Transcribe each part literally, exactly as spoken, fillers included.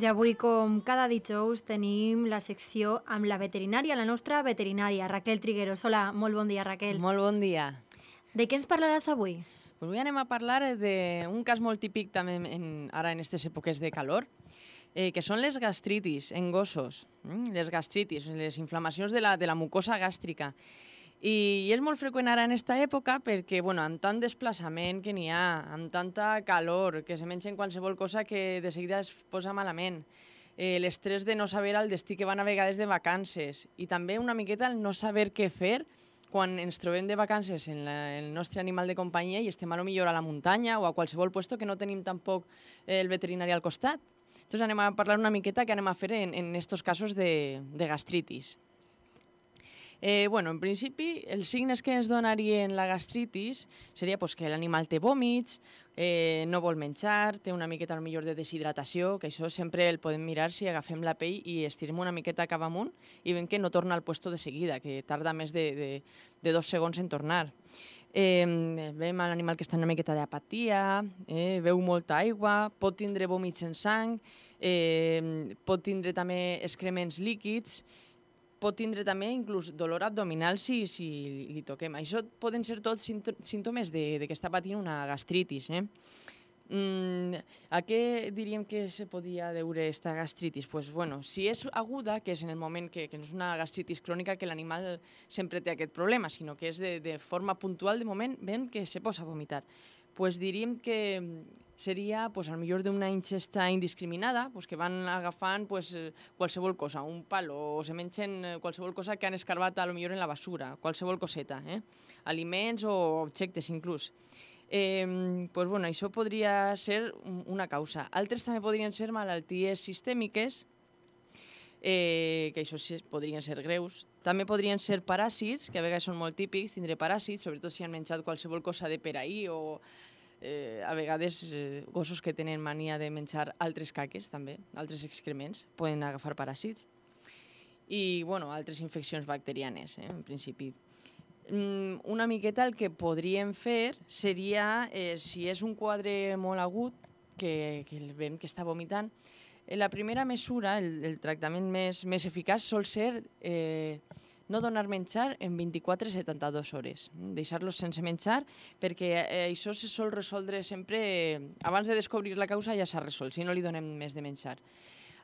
I avui, com cada dijous, tenim la secció amb la veterinària, la nostra veterinària, Raquel Trigueros. Hola, molt bon dia, Raquel. Molt bon dia. De què ens parlaràs avui? Pues avui anem a parlar d'un cas molt típic també en, ara en aquestes èpoques de calor, eh, que són les gastritis en gossos, mm? les gastritis, les inflamacions de la, de la mucosa gàstrica. I és molt freqüent ara en aquesta època perquè, bueno, amb tant desplaçament que n'hi ha, amb tanta calor, que se mengen qualsevol cosa que de seguida es posa malament, eh, l'estrès de no saber el destí que van a vegades de vacances i també una miqueta el no saber què fer quan ens trobem de vacances en la, el nostre animal de companyia i estem a lo millor a la muntanya o a qualsevol puesto que no tenim tampoc el veterinari al costat. Entonces anem a parlar una miqueta què anem a fer en, en estos casos de, de gastritis. Eh, bueno, en principi, els signes que ens donarien la gastritis seria pues, que l'animal té vòmits, eh, no vol menjar, té una miqueta al millor de deshidratació, que això sempre el podem mirar si agafem la pell i estirem una miqueta cap amunt i veiem que no torna al puesto de seguida, que tarda més de, de, de dos segons en tornar. Eh, veiem l'animal que està en una miqueta d'apatia, eh, veu molta aigua, pot tindre vòmits en sang, eh, pot tindre també excrements líquids, pot tindre també inclús dolor abdominal si, si li toquem. Això poden ser tots símptomes de, de que està patint una gastritis. Eh? Mm, a què diríem que se podia deure aquesta gastritis? Pues, bueno, si és aguda, que és en el moment que, que no és una gastritis crònica, que l'animal sempre té aquest problema, sinó que és de, de forma puntual, de moment, ven que se posa a vomitar. Pues diríem que seria pues, al millor d'una ingesta indiscriminada, pues, que van agafant pues, qualsevol cosa, un palo, o se mengen qualsevol cosa que han escarbat a lo millor en la basura, qualsevol coseta, eh? Aliments o objectes inclús. Eh, pues, bueno, això podria ser una causa. Altres també podrien ser malalties sistèmiques, eh, que això sí, podrien ser greus. També podrien ser paràsits, que a vegades són molt típics, tindre paràsits, sobretot si han menjat qualsevol cosa de per ahí o eh, a vegades eh, gossos que tenen mania de menjar altres caques també, altres excrements, poden agafar paràsits. I, bueno, altres infeccions bacterianes, eh, en principi. Mm, una miqueta el que podríem fer seria, eh, si és un quadre molt agut, que, que el veiem que està vomitant, la primera mesura, el, el tractament més, més eficaç, sol ser eh, no donar menjar en vint-i-quatre a setanta-dues hores. Deixar-los sense menjar, perquè eh, això se sol resoldre sempre, eh, abans de descobrir la causa ja s'ha resolt, si no li donem més de menjar.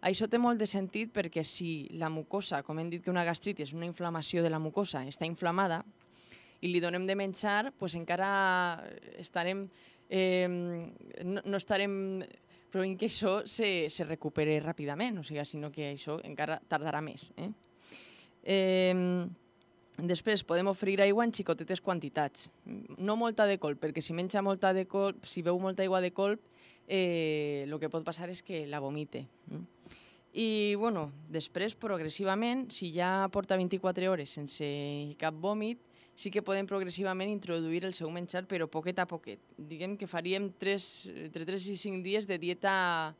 Això té molt de sentit perquè si la mucosa, com hem dit que una gastritis és una inflamació de la mucosa, està inflamada, i li donem de menjar, pues encara estarem, eh, no, no estarem... però en que això se, se recupere ràpidament, o sigui, sinó que això encara tardarà més. Eh? Eh, després podem oferir aigua en xicotetes quantitats, no molta de colp, perquè si menja molta de colp, si beu molta aigua de colp, eh, el que pot passar és que la vomite. Eh? I, bueno, després, progressivament, si ja porta vint-i-quatre hores sense cap vòmit, sí que podem progressivament introduir el seu menjar, però poquet a poquet. Diguem que faríem tres, entre tres i cinc dies de dieta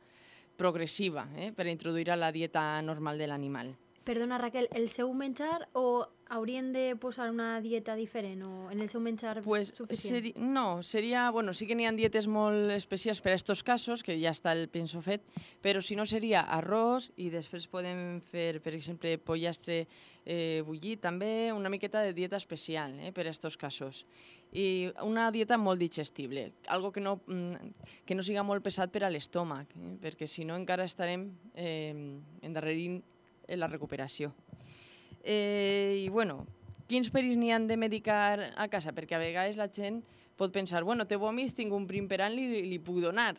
progressiva, eh, per introduir a la dieta normal de l'animal. Perdona, Raquel, el seu menjar o haurien de posar una dieta diferent o en el seu menjar pues suficient? Seri no, seria... Bueno, sí que n'hi ha dietes molt especials per a aquests casos, que ja està el penso fet, però si no seria arròs i després podem fer, per exemple, pollastre eh, bullit, també una miqueta de dieta especial eh, per a aquests casos. I una dieta molt digestible, algo que no, que no siga molt pesat per a l'estómac, eh, perquè si no encara estarem eh, endarrerint en la recuperació. Eh, I, bueno, quins perills n'hi han de medicar a casa? Perquè a vegades la gent pot pensar, bueno, té vòmits, tinc un prim per any, li, li puc donar.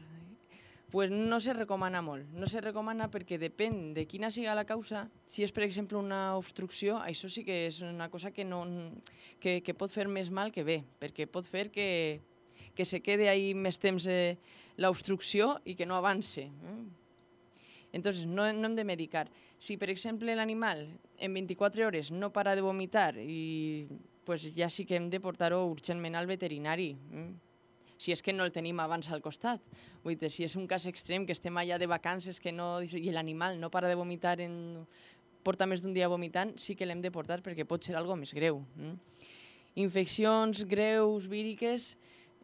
Pues no se recomana molt. No se recomana perquè depèn de quina siga la causa. Si és, per exemple, una obstrucció, això sí que és una cosa que, no, que, que pot fer més mal que bé, perquè pot fer que, que se quede ahí més temps eh, l'obstrucció i que no avance. Eh? Entonces, no, no hem de medicar. Si, per exemple, l'animal en vint-i-quatre hores no para de vomitar, i, pues ja sí que hem de portar-ho urgentment al veterinari, eh? si és que no el tenim abans al costat. Vull dir, si és un cas extrem, que estem allà de vacances que no, i l'animal no para de vomitar, en, porta més d'un dia vomitant, sí que l'hem de portar perquè pot ser algo més greu. Eh? Infeccions greus, víriques,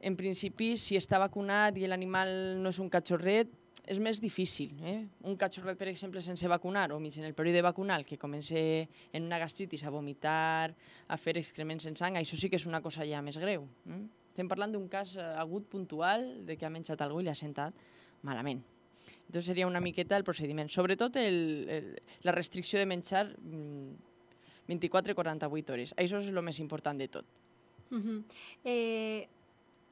en principi, si està vacunat i l'animal no és un catxorret, és més difícil. Eh? Un cachorret, per exemple, sense vacunar o mig en el període vacunal que comença en una gastritis a vomitar, a fer excrements en sang, això sí que és una cosa ja més greu. Eh? Estem parlant d'un cas agut puntual de que ha menjat algú i l'ha sentat malament. Entonces seria una miqueta el procediment. Sobretot el, el, la restricció de menjar vint-i-quatre a quaranta-vuit hores. Això és el més important de tot. Uh -huh. eh...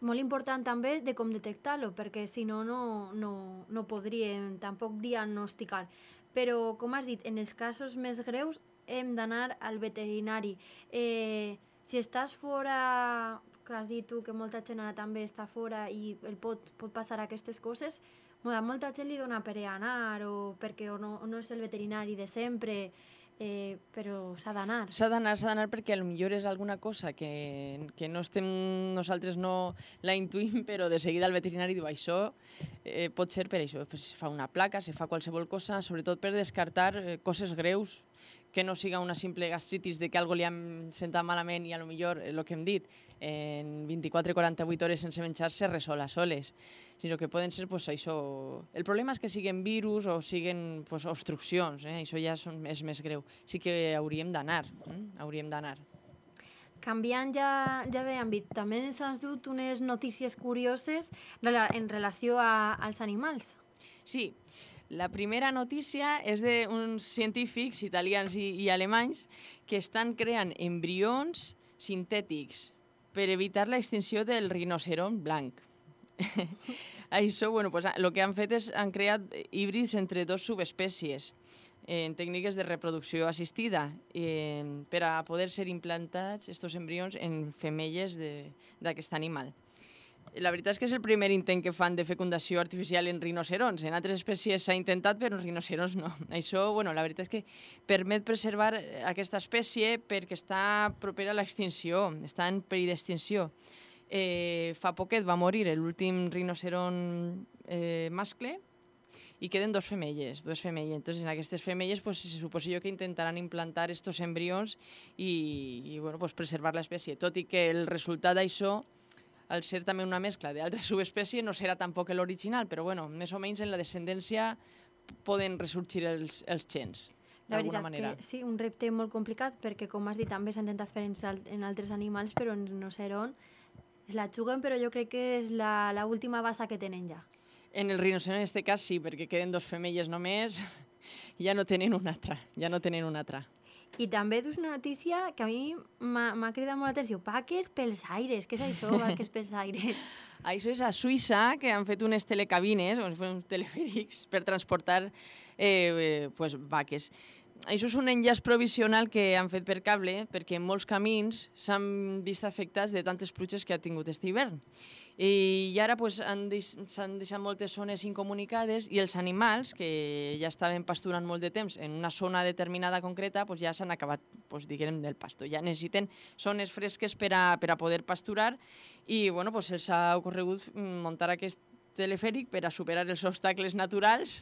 Molt important també de com detectar-lo, perquè si no, no, no, no podríem tampoc diagnosticar. Però, com has dit, en els casos més greus hem d'anar al veterinari. Eh, si estàs fora, que has dit tu que molta gent ara també està fora i el pot, pot passar aquestes coses, a molta gent li dona per anar o perquè o no, o no és el veterinari de sempre, Eh, però s'ha d'anar. S'ha d'anar, s'ha d'anar perquè potser és alguna cosa que, que no estem, nosaltres no la intuïm, però de seguida el veterinari diu això eh, pot ser per això. Pues se fa una placa, se fa qualsevol cosa, sobretot per descartar eh, coses greus, que no siga una simple gastritis de que algo li han sentat malament i a lo millor, el eh, que hem dit, en vint-i-quatre a quaranta-vuit hores sense menjar se resola soles, sinó que poden ser pues, això... El problema és que siguin virus o siguin pues, obstruccions, eh? Això ja són, és més greu. Sí que hauríem d'anar, eh? hauríem d'anar. Canviant ja, ja d'àmbit, també ens has dut unes notícies curioses en relació a, als animals. Sí, la primera notícia és d'uns científics italians i, i alemanys que estan creant embrions sintètics per evitar la extinció del rinoceront blanc. Això, bueno, pues, el que han fet és han creat híbrids entre dos subespècies en tècniques de reproducció assistida eh, per a poder ser implantats aquests embrions en femelles d'aquest animal. La veritat és que és el primer intent que fan de fecundació artificial en rinoceronts. En altres espècies s'ha intentat, però en rinoceronts no. Això, bueno, la veritat és que permet preservar aquesta espècie perquè està propera a l'extinció, està en perill d'extinció. Eh, fa poquet va morir l'últim rinoceront eh, mascle i queden dos femelles, dues femelles. Entonces, en aquestes femelles pues, se suposa jo que intentaran implantar estos embrions i, i bueno, pues, preservar l'espècie. Tot i que el resultat d'això, al ser també una mescla d'altra subespècie, no serà tampoc l'original, però bueno, més o menys en la descendència poden ressorgir els, els gens. La veritat manera. Que sí, un repte molt complicat, perquè com has dit també s'ha intentat fer en, en altres animals, però en rinoceront es la juguen, però jo crec que és l'última basa que tenen ja. En el rinoceront en aquest cas sí, perquè queden dos femelles només, ja no tenen una altra, ja no tenen una altra. I també dus una notícia que a mi m'ha cridat molt l'atenció. Vaques pels aires. Què és això, vaques pels aires? Això és a Suïssa, que han fet unes telecabines, uns telefèrics, per transportar eh, pues, vaques. Això és un enllaç provisional que han fet per cable, perquè molts camins s'han vist afectats de tantes pluges que ha tingut aquest hivern. I ara pues, s'han deix deixat moltes zones incomunicades i els animals, que ja estaven pasturant molt de temps en una zona determinada concreta, pues, ja s'han acabat pues, diguem, del pasto. Ja necessiten zones fresques per a, per a poder pasturar i bueno, pues, se'ls ha ocorregut muntar aquest telefèric per a superar els obstacles naturals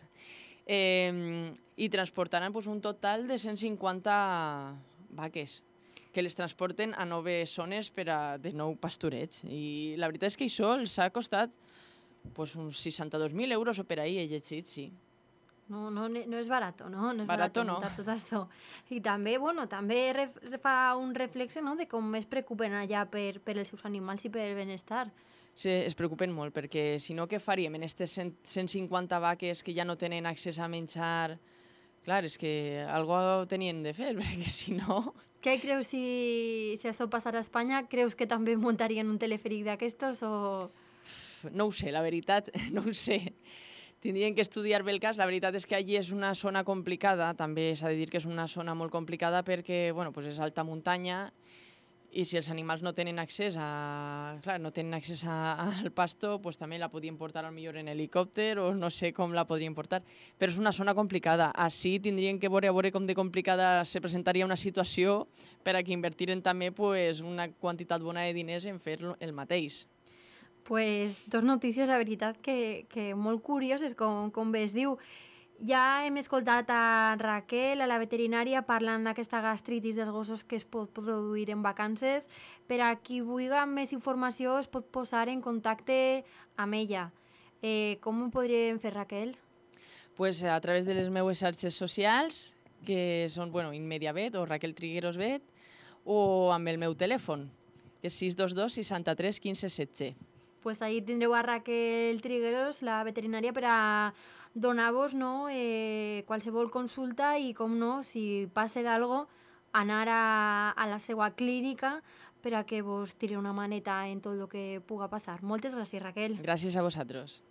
eh, i transportaran pues, un total de cent cinquanta vaques que les transporten a noves zones per a de nou pastureig. I la veritat és que això els ha costat pues, uns seixanta-dos mil euros o per ahí, he llegit, sí. No, no, no és barat, no? No és barato, barat no. Tot això. I també, bueno, també ref, fa un reflexe, no?, de com es preocupen allà per, per els seus animals i per el benestar. Sí, es preocupen molt, perquè si no, què faríem en aquestes cent cinquanta vaques que ja no tenen accés a menjar? Clar, és que algo tenien de fer, perquè si no... Què creus si, si això passarà a Espanya? Creus que també muntarien un telefèric d'aquestos o...? No ho sé, la veritat, no ho sé. Tindrien que estudiar bé el cas. La veritat és que allí és una zona complicada, també s'ha de dir que és una zona molt complicada perquè bueno, pues és alta muntanya i si els animals no tenen accés a, clar, no tenen accés a, al pasto, pues també la podien portar al millor en helicòpter o no sé com la podrien portar, però és una zona complicada. Així tindrien que veure, a veure com de complicada se presentaria una situació per a que invertiren també pues, una quantitat bona de diners en fer el mateix. Pues dos notícies, la veritat, que, que molt curioses, com, com bé es diu. Ja hem escoltat a Raquel, a la veterinària, parlant d'aquesta gastritis dels gossos que es pot produir en vacances. Per a qui vulgui més informació es pot posar en contacte amb ella. Eh, com ho podríem fer, Raquel? pues, a través de les meues xarxes socials, que són, bueno, Inmediavet o Raquel Trigueros Bet, o amb el meu telèfon, que és sis dos dos seixanta-tres quinze setze. Pues ahí tindreu a Raquel Trigueros, la veterinària, per a donar-vos, no, eh, qualsevol consulta i, com no, si passa d'algo, anar a, a la seva clínica per a que vos tiri una maneta en tot el que puga passar. Moltes gràcies, Raquel. Gràcies a vosaltres.